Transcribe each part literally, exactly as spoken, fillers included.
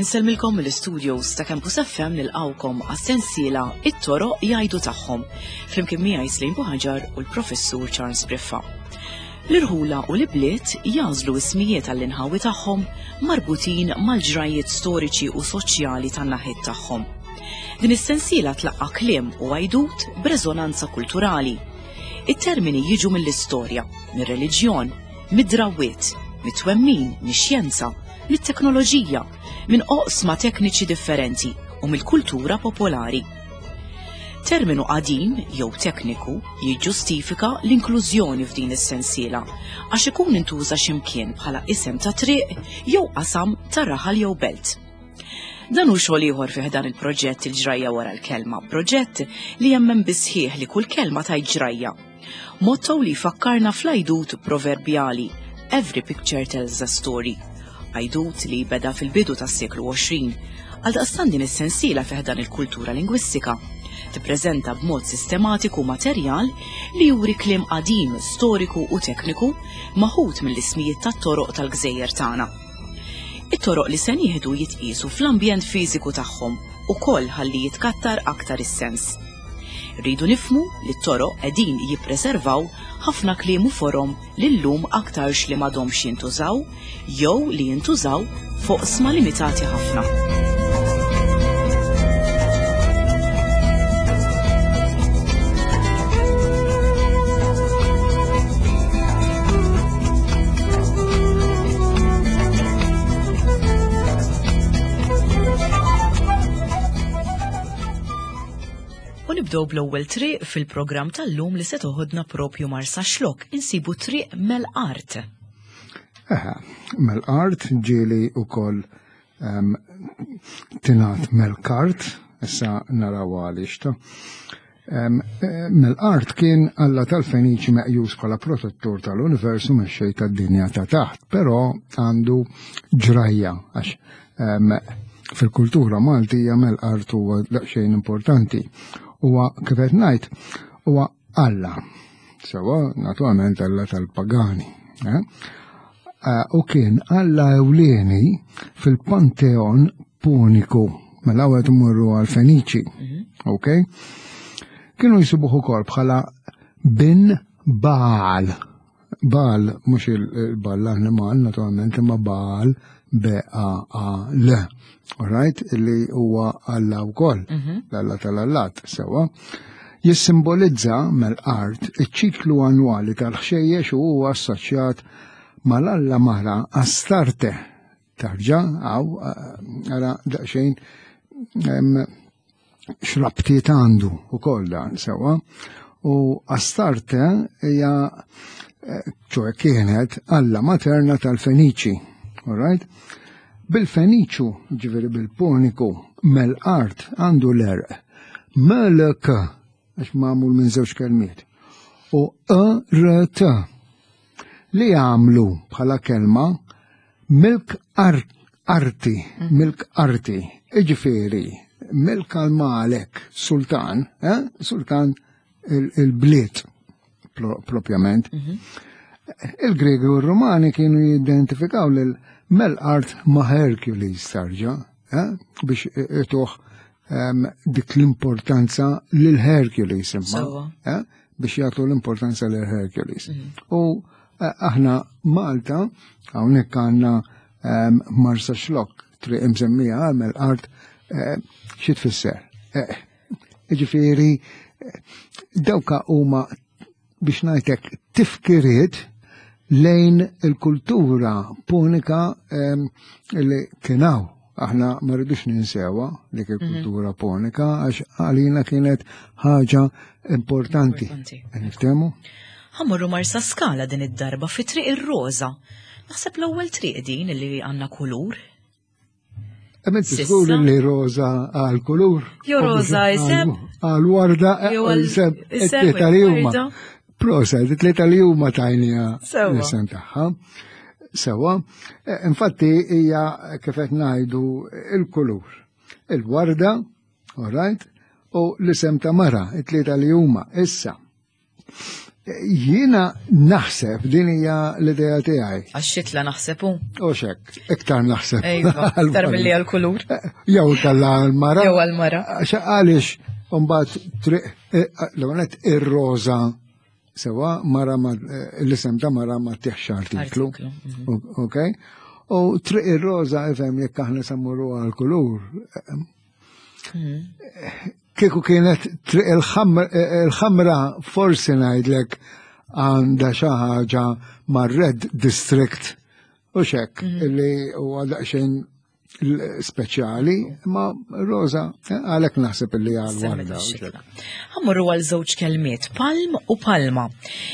Insellmilkom mill-studios ta' Campus F M nilqawkom għas-sensiela It-Toroq Jgħidu Tagħhom, flimkien miegħi Slim Buħaġar u l-Professur Charles Briffa. L-irħula u l-ibliet jażlu ismijiet għall-inħawi tagħhom marbutin mal-ġrajiet storiċi u soċjali tan-naħiet tagħhom. Din is-sensiela tlaqqa' kliem u għajdut b'reżonanza kulturali. It-termini jiġu mill-istorja, mir-reliġjon, mid-drawwiet, mit-twemmin, mix-xjenza, mit-teknoloġija, minn oqsma tekniċi differenti u mill-kultura popolari. Terminu qadim jew tekniku jiġġustifika l-inklużjoni f'din is-sensiela għax ikun intuża x'imkien bħala isem ta' triq jew qasam ta' raħal jew belt. Dan hu xogħol ieħor fih dan il-proġett Il-Ġrajja Wara l-Kelma, proġett li jemmen bisħieħ li kull kelma tajt ġrajja. Motto li jfakkarna fl-għajdut proverbjali Every picture tells a story. Għajdut li beda fil-bidu tas-seklu għoxrin, għaldaqstant din is-sensiela fih dan il-kultura lingwistika tippreżenta b'mod sistematiku materjal li juri kliem qadim, storiku u tekniku maħut mill-ismijiet tat-toroq tal-gżejjer tagħna. It-toroq li se nieħdu jitqiesu fl-ambjent fiżiku tagħhom ukoll ħalli jitkattar aktar is-sens. Rridu nifhmu li t-toroq qegħdin jippreservaw ħafna kliem u forom li llum aktarx li m'għadhomx jintużaw jew li jintużaw fuq sma limitati ħafna. U nibdew bl-ewwel triq fil-programm tal-lum li se toħodna propju Marsaxlokk, insibu triq Melqart. Eħe, Melqart ġieli wkoll, ehm, tingħad Melkart, issa naraw għaliex ta'. Ehm, eh, Melqart kien alla tal-Feniċi meqjus bħala protettur tal-univers u mexxej tad-dinja ta' taħt, però għandu ġrajja għax, ehm, fil-kultura Maltija Melqart huwa daqsxejn importanti. Huwa kif qed ngħid, huwa Alla. Sewa, naturalment Alla tal-pagani. Eh? Eh, u kien Alla ewlieni fil-Panteon Puniku, mela qed imorru għal-Feniċi. Mhm. Ok? Kienu jsibuh ukoll bħala bin Baal. Baal, mhux il-Baal l-annimal, naturalment, imma Baal B A A L. All right? Illi huwa Alla wkoll, Mhm. l-Alla tal-Allat, sewa. Jissimbolizza Melqart iċ-ċiklu annwali tal-ħxejjex u huwa assoċjat mal-Alla mara Astarte. Tarġa, għaw, ara daqsxejn, em, x'rabtiet għandu ukoll dan, sewa. U Astarte hija, eh, ċoe kienet Alla materna tal-Feniċi, all right? Bil-Feniċu, ġifieri bil-Puniku, Melqart għandu l-erq. Melk, għax magħmul minn żewġ kelmiet, u E R T, li għamlu bħala kelma milk ar-, arti, Mhm. milk arti, iġifieri, milk għal-Malek, sultan, eh? Sultan il-, il-bliet, pro-, propjament. Mhm. Il-Gregi u r-Rumani kienu jidentifikaw lil Melqart ma' Hercules tarġa, eh? Biex ituh, ehm, dik l-importanza lil Hercules imma, Sewwa. eh? Biex jagħtu l-importanza lil Hercules. Mhm. U, eh, aħna Malta, hawnhekk għandna, ehm, Marsaxlokk, triq imsemmija għal Melqart, eh, xi tfisser? Eh, jiġifieri, eh, dawka huma biex ngħidlek tifkiriet lejn il-kultura punika, ehm, li kienaw. Aħna ma rridux ninsewa dik il-kultura Mhm. punika għax għalina kienet ħaġa importanti. Importanti. Niftehmu? Ħammorru Marsaskala din id-darba fi Triq ir-Roża. Naħseb l-ewwel triq din li għandna kulur. Emet Sissa. żgur li roża għal kulur. Jo roża iseb. Għal warda, Jew għal iseb, iseb it-tlieta li huma. warda. Prosa, it-tlieta li huma tajnija Sewa. l-isem tagħha. Sewa. Eh, infatti hija kif qed ngħidu il-kulur. Il-warda, all right, u l-isem ta' mara, it-tlieta li huma. Issa, jiena naħseb din hija l-idea tiegħi. Għax-xitla naħseb hu. U xek, iktar naħseb. Ejwa, iktar milli għal-kulur. Jew kalla għal-mara. Jew għal-mara. Għax għaliex mbagħad triq l-għonet ir-roża sewa mara ma l-isem ta' mara ma tiħx artiklu. Artiklu, mhm. Ok? U triq ir-roża ifhem jekk aħna sammuru għal-kulur. Mhm. Kieku kienet triq il-ħamra forsi ngħidlek għandha xi ħaġa mar-Red District u xek Mhm. illi huwa daqsxejn speċjali, ma roża għalhekk naħseb illi għal Semmet warda. u ix-xitla. xek. Ħa mmorru għal żewġ kelmiet, palm u palma.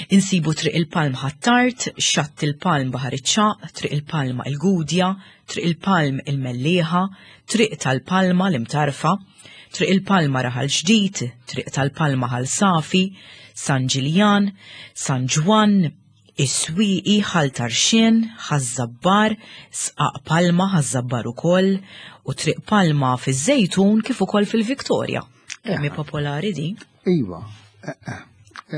Insibu triq il-Palm Ħ'Attard, xatt il-Palm Baħar iċ-Ċagħaq, triq il-Palma il-Gudja, triq il-Palm il-Mellieħa, triq tal-Palma l-Imtarfa, triq il-Palma Raħal Ġdid, triq tal-Palma Ħal Safi, San Ġiljan, San Ġwann, Is-Swieqi, Ħal Tarxien, Ħaż-Żabbar, Sqaq Palma, Ħaż-Żabbar ukoll, u Triq Palma fiż-Żejtun kif ukoll fil-Viktorja. Kemm hi popolari di? Iva. eh, eh.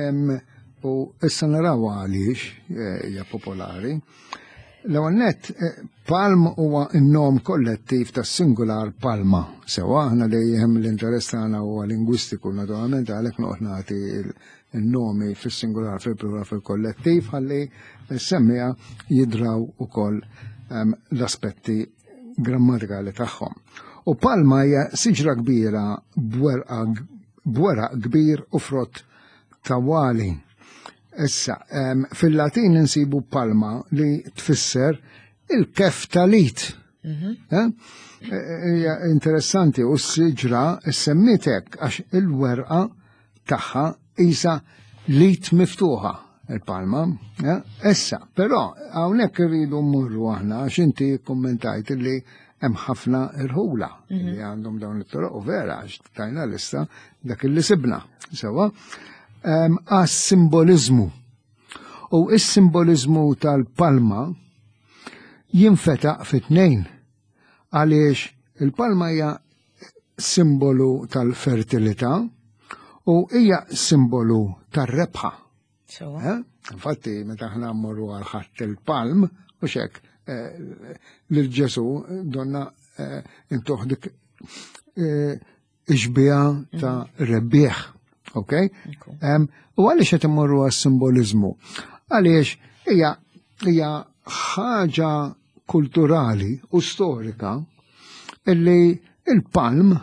Em, U issa naraw għaliex eh, hija popolari. L-ewwel nett, eh, palm huwa n-nom kollettiv tas-singular palma. Sewa aħna dejjem l-interess tagħna huwa lingwistiku naturalment għalhekk noqgħod nagħti il- il-nomi fis-singular fil-plural fil-kollettiv ħalli s-semmija jidraw ukoll em, l-aspetti grammatikali tagħhom. U palma hija siġra kbira b'werqa b'weraq kbir u frott tawali. Issa, em, fil-Latin insibu palma li tfisser il-kef tal-id. Eh? Hija interessanti u s-siġra semmitek għax il-werqa tagħha isa l-id miftuħa il-palma. eh? Issa, però hawnhekk irridu mmorru aħna għax inti kommentajt li hemm ħafna irħula li għandhom dawn it-toroq u vera għax tajna lista dak illi sibna. Sewa, em, għas-simbolizmu. U is-simbolizmu tal-palma jinfetaq fit-tnejn għaliex il-palma hija simbolu tal-fertilità u hija simbolu tar-rebħa. Sewa. Eh? Infatti, meta aħna mmorru għal Ħadd il-Palm, u xek, eh, lil Ġesu donna eh, intuh dik eh, ix-xbieha ta' rebbieħ. Ok? Ekku. Em, U għaliex qed immorru għas-simbolizmu? Għaliex hija hija ħaġa kulturali u storika illi il-palm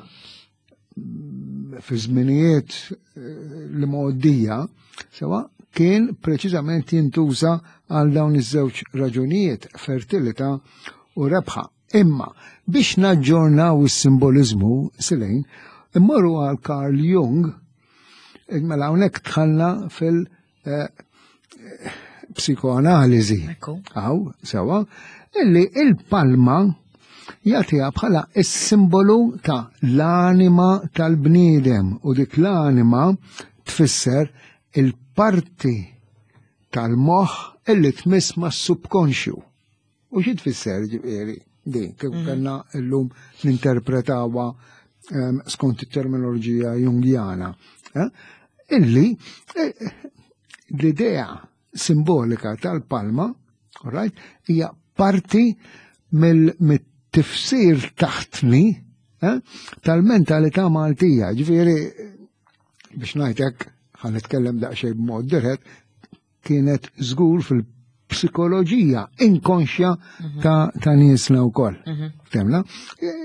fi żminijiet eh, li mgħoddija sewa kien preċiżament jintuża għal dawn iż-żewġ raġunijiet, fertilità u rebħa. Imma biex naġġornaw is-simbolizmu silejn, immorru għal Carl Jung, mela hawnhekk dħalna fil eh, psikoanaliżi. Ekku. Aw, sewa, illi il-palma jagħtiha bħala is-simbolu ta' l-anima tal-bniedem u dik l-anima tfisser il-parti tal-moħħ illi tmiss ma' subkonxju. U xi tfisser ġifieri din, kif kellna llum ninterpretawha em, skont it-terminoloġija jungjana. eh? Illi eh, l-idea simbolika tal-palma, all right, hija parti mill-tifsir taħtni eh, tal-mentalità Maltija. Ġifieri, biex ngħidlek, ħa nitkellem daqsxejn b'mod dirett, kienet żgur fil-psikoloġija inkonxja ta', ta' niesna wkoll. Temla? Eh,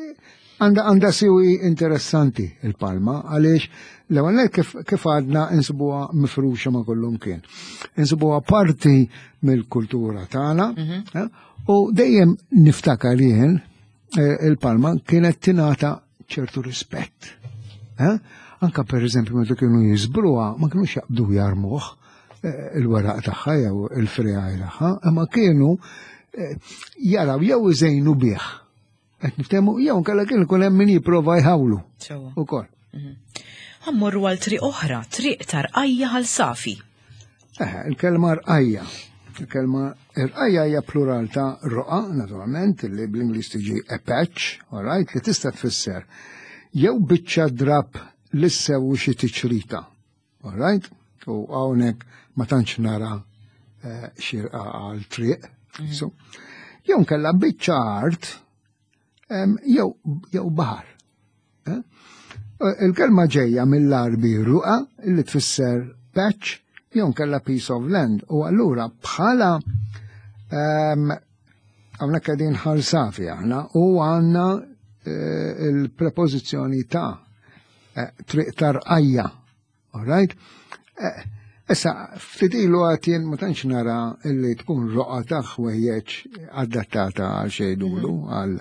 Għanda għanda siwi interessanti il-palma, għaliex l-ewwel nett kif, kif għadna insibuha mifruxa ma' kullum kien. Insibuha parti mill-kultura tagħna eh, u dejjem niftakar jien eh, il-palma kienet tingħata ċertu rispett. Eh? Anka per eżempju meta kienu jiżbruha ma kienux jaqbdu jarmuh eh, il-weraq tagħha jew il-friegħi tagħha, imma kienu eh, jaraw jew iżejnu bih. Qed niftehmu jew nkella kien ikun hemm min jipprova jħawlu Sewa. ukoll. Ħa mmorru għal triq oħra, triq ta' Rqajja Ħal Safi. Eh, il-kelma rqajja. Il-kelma rqajja hija plural ta' roqa, naturalment, li bl-Ingliż tiġi a patch, all right, li tista' tfisser jew biċċa drab li ssewu xi tiċrita. All right? U hawnhekk ma tantx nara eh, xirqa għal triq. Mm. So, jew nkella biċċa art jew jew baħar. Eh? Il-kelma ġejja mill-Għarbi ruqa li tfisser patch jew nkella piece of land u allura bħala hawnhekk qegħdin Ħal Safi aħna u għandna eh, il-prepożizzjoni ta' eh, triq tarqajja. All right? Eh, issa, ftit ilu għatjen ma tantx nara illi tkun roqa ta' ħwejjeġ adattata għal xejdulu, mhm.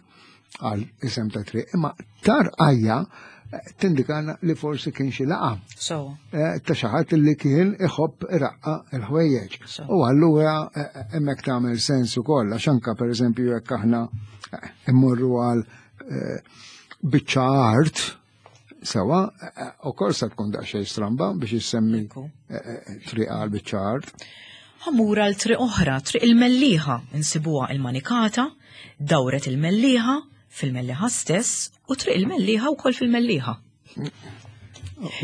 għal isem ta' triq, imma tarqajja tindikana li forsi kien xi laqa. So. Eh, ta' xi ħadd li kien iħobb iraqqa l-ħwejjeġ. U allura eh, eh, hemmhekk tagħmel sens ukoll għax anke pereżempju jekk aħna immorru għal biċċa art sewa, ukoll se tkun daqsxejn stramba biex issemmi triq għal biċċa art. Ħammur għal triq oħra, triq il-Mellieħa, insibuha il-Manikata, dawret il-Mellieħa, fil-Mellieħa stess u triq il-Mellieħa wkoll fil-Mellieħa.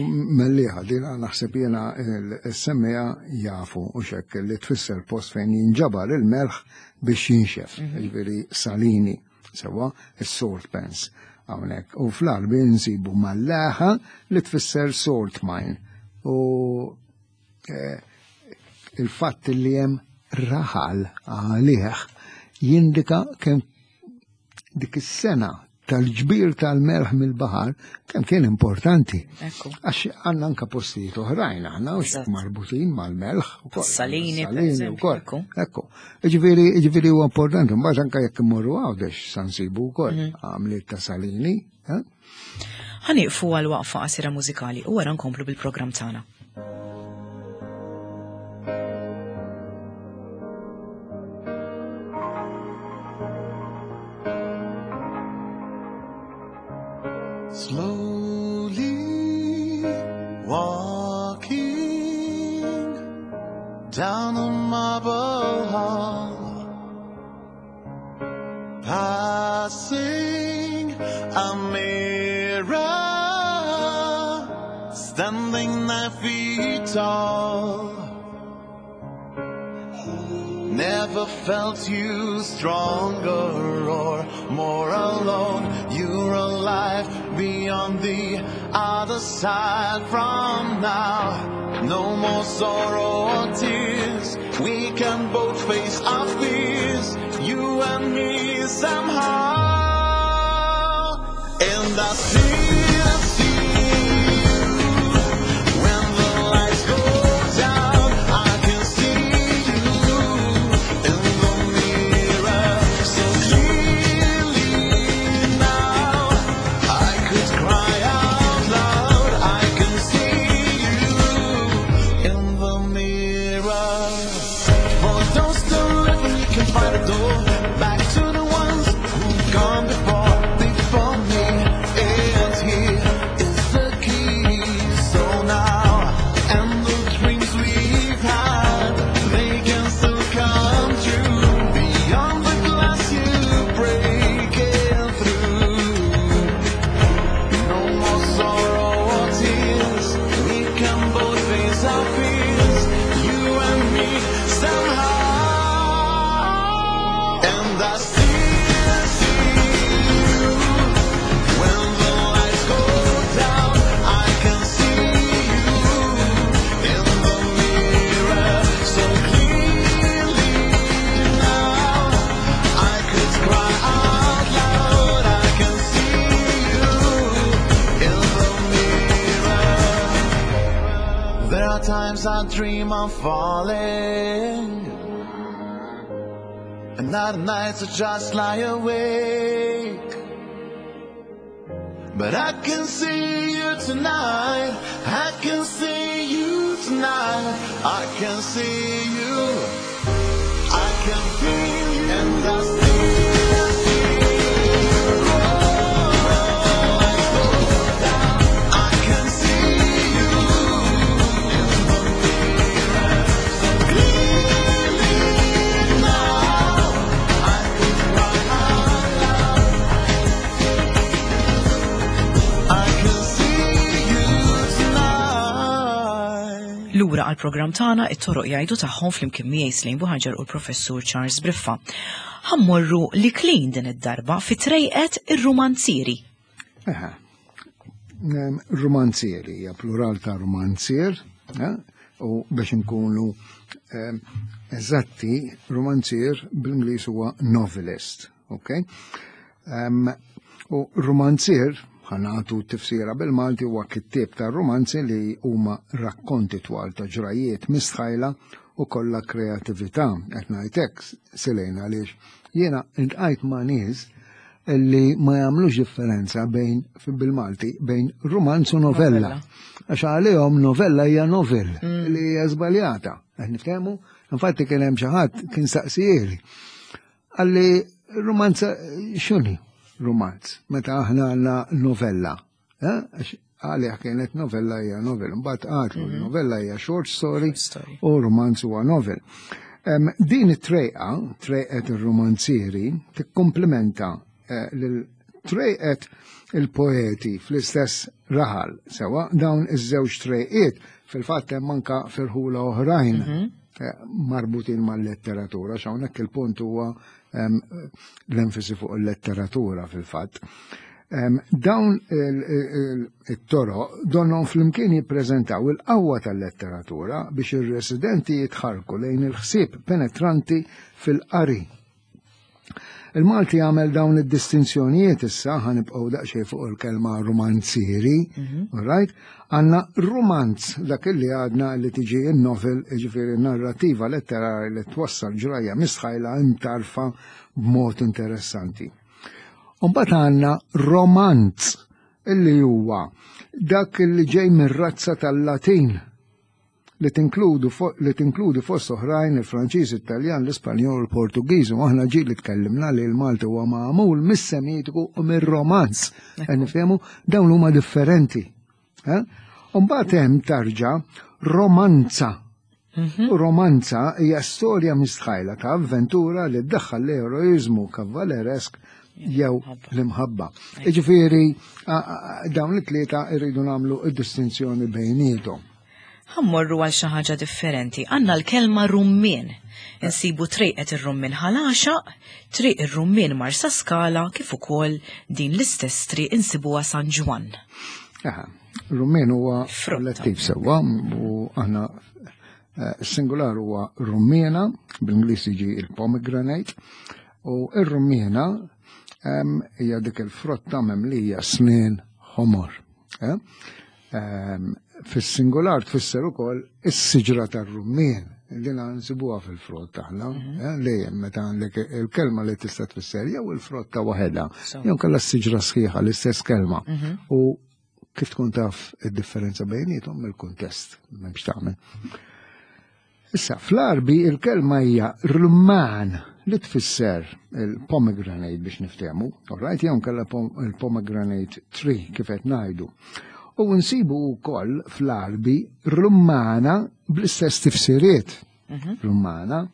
Mellieħa, din naħseb jiena s-semmija jafu u xekk li tfisser post fejn jinġabar il-melħ biex jinxef, mhm. jiġifieri salini, sewa is-salt pans hawnhekk. U fl-Għarbi nsibu mallaħa li tfisser salt mine. U eh, il-fatt li hemm raħal għalih jindika kemm dik is-sena tal-ġbir tal-melħ mill-baħar kemm kien importanti. Għax għandna anka postijiet oħrajn aħna u marbutin mal-melħ ukoll. Salini, salini wkoll. Ekku. Ġifieri ġifieri huwa importanti, mbagħad anke jekk immorru Għawdex sa nsibu wkoll mhm. għamliet ta' salini. Eh? Ħanieqfu għal waqfa qasira mużikali u wara nkomplu bil-programm tagħna. Slowly walking down the marble hall, passing a mirror, standing nine feet tall. Never felt you stronger or more alone. You're alive beyond the other side from now. No more sorrow or tears. We can both face our fears, you and me somehow. And I still see you when the lights go down. I can see you in the mirror so clearly now. I could cry out loud. I can see you in the mirror. For those still living, you can find a door back to the ones who've gone before, before me. And here is the key. So now, and the dreams we've had, they can still come true. Beyond the glass you breaking through. No more sorrow or tears. We can both face our fears, you and me somehow. And I still see you when the lights go down. I can see you in the mirror so clearly now. I could cry out loud. I can see you in the mirror. There are times I dream of falling, and other nights I just lie awake. But I can see you tonight. I can see you tonight. I can see you. I can feel you. And I still see you. I can see you in the mirror so clearly now. I could cry out loud. I can see you lura għall-programm tagħna It-Toroq Jgħidu Tagħhom flimkien miegħi Slane Buhaġar u l-Professur Charles Briffa. Ħa mmorru l-Iklin din id-darba fi Trejqet ir-Rumanzieri. Eħe. Rumanzieri hija plural ta' rumanzier, eh? U biex nkunu eżatti, rumanzier bl-Ingliż huwa novelist, ok? U rumanzier, ħa nagħtu tifsira bil-Malti, huwa kittieb ta' romanzi li huma rakkonti twal ta' ġrajiet mistħajla u kollha kreatività. Qed ngħidlek, Silena, għaliex jiena iltqajt ma' nies li ma jagħmlux differenza bejn bil-Malti bejn romanz u novella. Għax għalihom novella hija novel mm. li hija żbaljata. Qed niftehmu? Infatti kien hemm xi ħadd kien saqsieli. Qalli, "Romanza x'inhi romanz meta aħna għandna novella?" Eh? Għalih kienet novella hija novel. Mbagħad għedtlu mhm. novella hija short story u romanz huwa novel. Din it-trejqa, Trejqet ir-Romanzieri, tikkomplementa eh, lil Trejqet il-Poeti fl-istess raħal. Sewa, dawn iż-żewġ trejqiet fil-fatt hemm anka f'irħula oħrajn mhm. eh, marbutin mal-letteratura, x'hawnhekk il-punt huwa l-enfasi fuq il-letteratura fil-fatt. Dawn it-toroq donhom flimkien jippreżentaw il-qawwa tal-letteratura biex ir-residenti jitħarku lejn il-ħsieb penetranti fil-qari. Il-Malti għamel dawn id-distinzjonijiet. Issa ħa nibqgħu daqsxejn fuq il-kelma romanzieri, mhm. right? Għandna romanz, dak li għadna li tiġi il-novel, ġifieri narrativa letterari li twassal ġrajja mistħajla imtarfa b'mod interessanti. Umbagħad għandna romanz, illi huwa dak li ġej mir-razza tal-Latin li tinkludu li tinkludi fost oħrajn il-Franċiż, Italjan, l-Ispanjol, il-Portugiż, u aħna ġieli tkellimna li l-Malti huwa magħmul mis-Semitiku u mir-Romanz. Nifhemu, dawn huma differenti. Eh? Mbagħad hemm tarġa romanza. Mhm. Romanza hija storja mistħajla ta' avventura li ddaħħal l-eroizmu kavaleresk jew l-imħabba. Iġifieri dawn it-tlieta irridu nagħmlu id-distinzjoni bejniethom. Ħa mmorru għal xi ħaġa differenti. Għandna l-kelma rummien. Insibu Trejqet ir-Rummien Ħal Għaxaq, Triq ir-Rummien Marsaskala, kif ukoll din l-istess triq insibuha San Ġwann. Aha, rummien huwa kollettiv, sewwa, u aħna eh, singular huwa rummiena, bl-Ingliż jiġi il-pomegranate, u ir-rummiena hija dik il-frotta memlija snien ħomor. Eh? Fis-singular tfisser ukoll is-siġra tar-rummien. Din nsibuha fil-frott aħna, mhm. eh, lejjem meta għandek il-kelma li tista' tfisser jew il-frotta waħedha, jew kellha s-siġra sħiħa, l-istess kelma. Mhm. U kif tkun taf id-differenza bejniethom? Mill-kuntest, m'hemmx tagħmel. Issa, fl-Arbi il-kelma hija rumman, li tfisser il-pomegranate biex niftehmu, alright, jew kella il-pomegranate tree kif qed ngħidu. U nsibu wkoll fl-Arbi rummana bl-istess tifsiriet. Mhm. Rummana.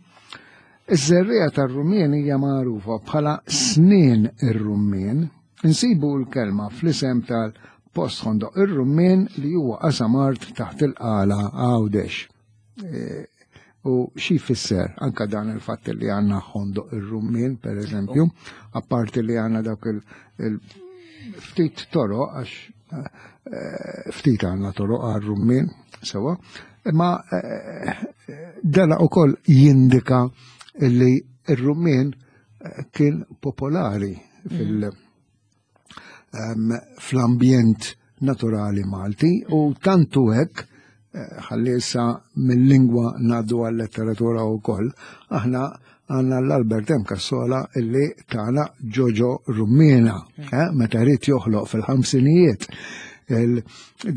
Iż-żerriegħa tar-rummien hija magħrufa bħala snien ir-rummien. Insibu l-kelma fl-isem tal-post Ħondoq ir-Rummien, li huwa qasam art taħt il-Qala, Għawdex. E, u xi jfisser anka dan il-fatt li għandna Ħondoq ir-Rummien, per eżempju, apparti li għandna dawk il-ftit toroq, għax eh, ftit għandna toroq għal-rummien, sewa, imma eh, dana ukoll jindika li ir-rummien eh, kien popolari fil- um, fl-ambjent naturali Malti u tantu hekk, ħalli issa mill-lingwa ngħaddu għal-letteratura u koll, aħna għandna l-Albert M. Cassola illi tana Ġoġo Rummina, eh, meta ried joħloq fil-ħamsinijiet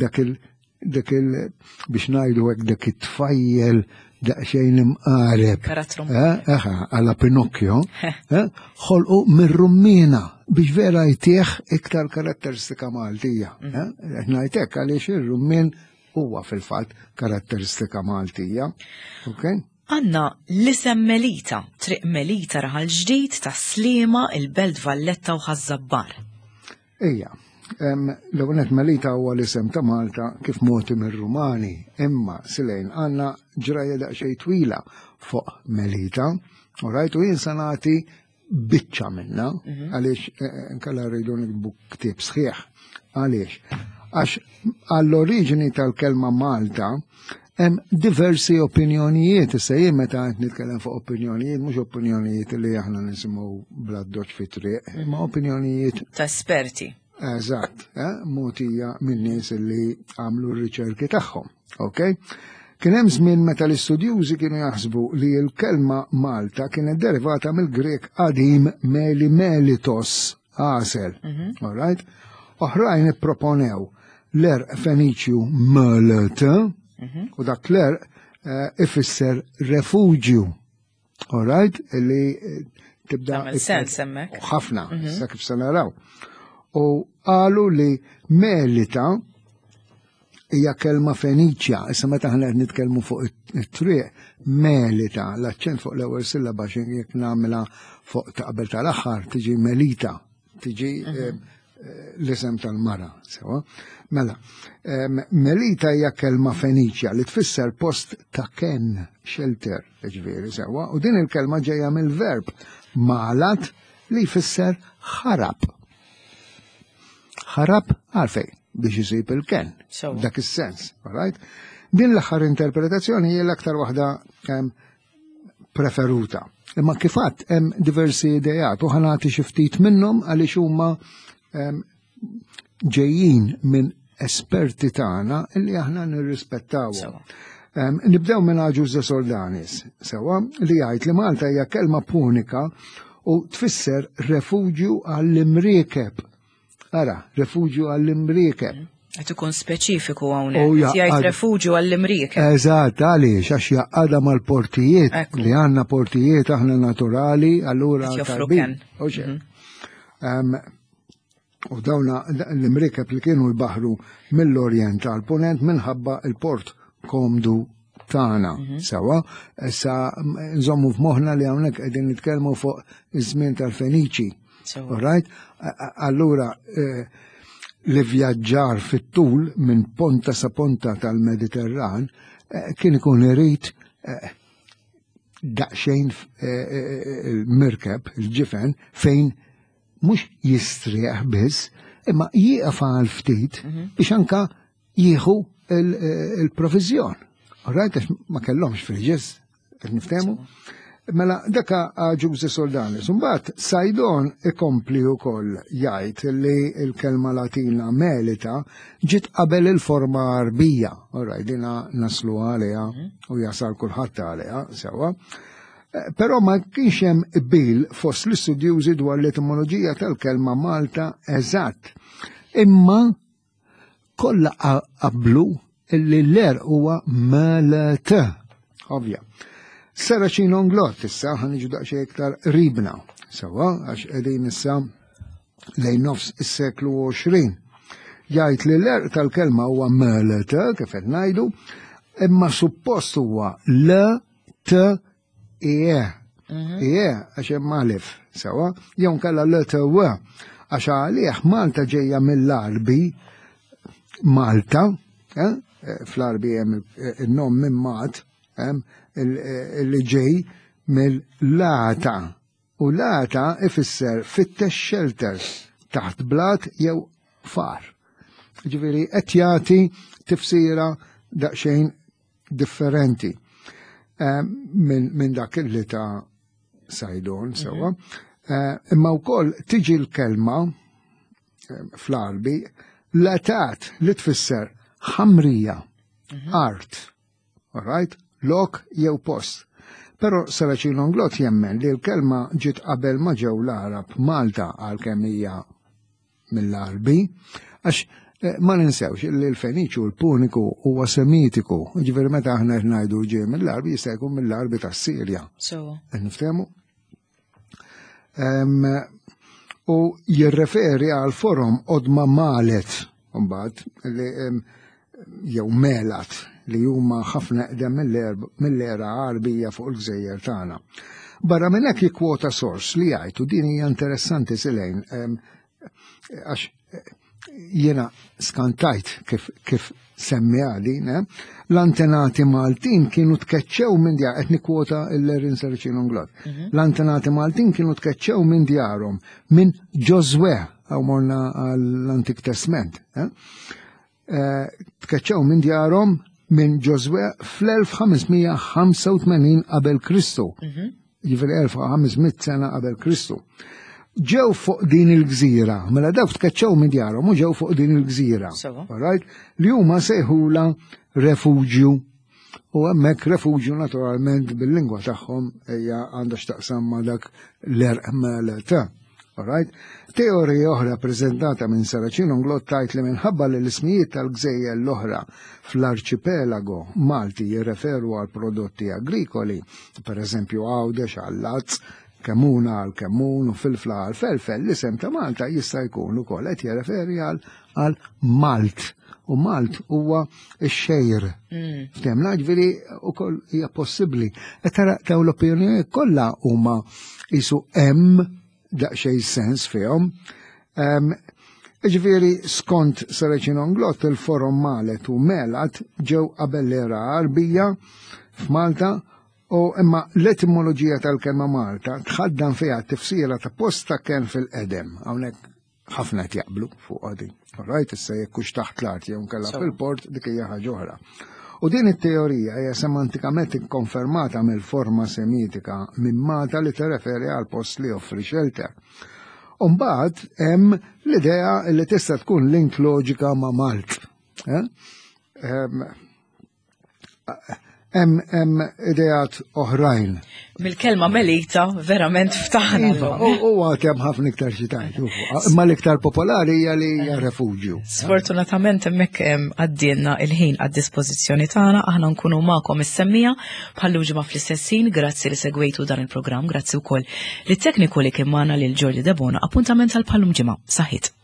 dak il dak il biex ngħidu hekk, dak it-tfajjel daqsxejn imqareb. Karattru. Eh, Eħa, għala Pinocchio, eh, ħolqu mir-rummina biex vera jtieħ iktar karatteristika Maltija. Eh, Ngħidlek għaliex ir-rummien huwa fil-fatt karatteristika Maltija. Okay? Għandna l-isem Melita, Triq Melita, Raħal Ġdid, ta' Sliema, il-Belt Valletta u Ħaż-Żabbar. Ija, L-ewwel Melita huwa l-isem ta' Malta kif mogħti mir-Rumani, imma Silejn għandna ġrajja daqsxejn twila fuq Melita, u rajt u jien sa nagħti biċċa minna, għaliex eh, nkella rridu nikbu ktieb sħiħ. Għaliex? Għax għall-oriġini tal-kelma Malta hemm diversi opinjonijiet, issa jien meta qed nitkellem fuq opinjonijiet, mhux opinjonijiet li aħna nisimgħu bla doċ fit-triq, imma opinjonijiet Ta' esperti. Eżatt, eh, mogħtija minn nies li għamlu r-riċerki tagħhom. Ok? Kien hemm żmien meta l-istudjużi kienu jaħsbu li l-kelma Malta kienet derivata mill-Grek qadim meli melitos, għasel. All right? Oħrajn ipproponew l-għerq Feniċju melet, u dak l-għerq eh, ifisser refuġju. All right? Li eh, tibda Tagħmel sens hemmhekk. U ħafna, issa kif se naraw. U qalu li melita hija kelma Feniċja, issa meta aħna qed nitkellmu fuq it-triq, melita, l-aċċent fuq l-ewwel sillaba xi jekk nagħmilha fuq ta' qabel tal-aħħar tiġi melita, tiġi eh, eh, l-isem tal-mara, sewa. Mela, em, melita hija kelma Feniċja li tfisser post ta' ken, shelter, ġifieri sewa, u din il-kelma ġejja mill-verb malat li jfisser ħarab. Ħarab għalfej biex isib il-ken. Sewa. Dak is-sens, all right? Din l-aħħar interpretazzjoni hija l-aktar waħda em, preferuta. Imma kif għedt hemm diversi idejat u ħa nagħti xi ftit minnhom għaliex huma em, ġejjin minn esperti tagħna illi aħna nirrispettawhom. Sewa. Em, Nibdew minn Agius de Soldanis, sewa, li jgħid li Malta hija kelma punika u tfisser refuġju għall-imriekeb. Ara, refuġju għall-imriekeb. Qed ikun speċifiku U hawnhekk. ja- Qed jgħid għad- refuġju għall-imriekeb. Eżatt, għaliex, għax jgħaqqadha mal-portijiet Ekku. li għandna portijiet aħna naturali, allura Qed joffru tajbin. ken. U xek. Em, U dawna l-imriekeb li kienu jbaħru mill-Orjent għal ponent minħabba il-port komdu tagħna. Sewa, issa nżommu f'moħħna li hawnhekk qegħdin nitkellmu fuq iż-żmien tal-Feniċi. Sewa. All right? A- a- Allura, eh, li vjaġġar fit-tul minn ponta sa ponta tal-Mediterran eh, kien ikun irid eh, daqsxejn eh, eh, il-mirkeb, il-ġifen, fejn mhux jistrieħ biss, imma jieqaf għal ftit biex anka jieħu il-provizjon. All right, għax ma kellhomx fridges, qed niftehmu? Mela, daka Agius de Soldanis. Mbagħad Saydon ikompli wkoll jgħid li l-kelma Latina melita ġiet qabel il-forma Arbija. All right, dina naslu għaliha u jasal kulħadd għaliha, sewa. Eh, Però ma kienx hemm qbil fost l-istudjużi dwar l-etimoloġija tal-kelma Malta eżatt. Imma kollha qablu illi l-għerq huwa melet. Ovvja. Serracino Inglott issa ħa niġu daqsxejn iktar qribna. Sewa, għax qegħdin issa lejn nofs is-seklu għoxrin. Jgħid li l-għerq tal-kelma huwa melet, kif qed ngħidu, imma suppost huwa L T E. E, għax hemm alif, sewa, jew nkella L T W, għax għalih Malta ġejja mill-Arbi, Malta, eh, fl-Arbi hemm il-nom minn Mat, hemm il- li ġej mill-lata. U lata ifisser fittex shelter taħt blat jew far. Ġifieri qed jagħti tifsira daqsxejn differenti eh, minn min dak li ta' Saydon sewa. Eh, Imma wkoll tiġi l-kelma eh, fl-Arbi latat li tfisser ħamrija, art, all right? Lok jew post. Però Serracino Inglott jemmen li l-kelma ġiet qabel ma ġew l-Arab Malta għal hija mill-Arbi, għax eh, ma ninsewx li l-Feniċu l-Puniku huwa Semitiku, ġifieri meta aħna qed ngħidu ġej mill-Arbi jista' jkun mill-Arbi tas-Sirja. Sewa. Niftehmu? Em, U jirreferi għal forom qodma malet, mbagħad li em, jew melat li huma ħafna eqdem mill-era Arbija fuq il-gżejjer tagħna. Barra minn hekk jikkwota sors li jgħid u din hija interessanti Silejn em, għax eh, Jiena skantajt kif, kif semmiha din, eh? L-antenati Maltin kienu tkeċċew minn djar, qed nikkwota l-Erin Serracino Inglott. L-antenati Maltin kienu tkeċċew minn djarhom minn Ġożwè, għaw morna għall-Antik Testament. Eh? Eh, tkeċċew minn djarhom minn Ġożwè fl-elf ħames mija ħamsa u tmenin qabel Kristu. Jiġifieri elf u ħames mitt sena qabel Kristu. Ġew fuq din il-gżira, mela dawk tkeċċew minn djarhom u ġew fuq din il-gżira. Sewa. Alright? Li huma sejħula refuġju. U hemmhekk refuġju naturalment bil-lingwa tagħhom hija għandha x'taqsam ma' dak l-erq ta'. Alright? Teorija oħra preżentata minn Serracino Inglott tgħid li minħabba li l-ismijiet tal-gżejjer l-oħra fl-arċipelago Malti jirreferu għal prodotti agrikoli, per eżempju Għawdex għal-lazz, Kemmuna għal kemmun u Filfla għal felfel, l-isem ta' Malta jista' jkun ukoll qed jirreferi għal għal Malt. U Malt huwa x-xgħir. Ftemna, ġifieri ukoll hija possibbli. E tara taw l-opinjoni kollha huma jisu hemm daqsxejn sens fihom. Em, Ġifieri, skont Serracino Inglott, il-forom Malet u Melat ġew qabel l-era Għarbija f'Malta u imma l-etimoloġija tal-kelma Malta tħaddan fiha tifsira ta' posta kien fil-qedem. Hawnhekk ħafna qed jaqblu fuq għadi. Right, issa jekk hux taħt l-art jew nkella Sewa. fil-port, dik hija ħaġa oħra. U din it-teorija hija semantikament ikkonfermata mill-forma semitika minn Malta li tirreferi għal post li joffri shelter. Umbagħad hemm l-idea li tista' tkun link loġika ma' Malt. Eh? Em, Hemm hemm ideat oħrajn. Mill-kelma Melita verament ftaħna. Iva, u u għad hemm ħafna iktar xi tgħid, u fuq. Imma l-iktar popolari hija li hija refuġju. Sfortunatament hemmhekk em, għaddielna il-ħin għad dispożizzjoni tagħna, aħna nkunu magħkom is-semmiegħa bħal ġimgħa fl-istess ħin. Grazzi li segwejtu dan il-programm, grazzi wkoll lit-tekniku li kien magħna, lil Jordi Debona. Appuntament għal bħal ġimgħa. Saħħit.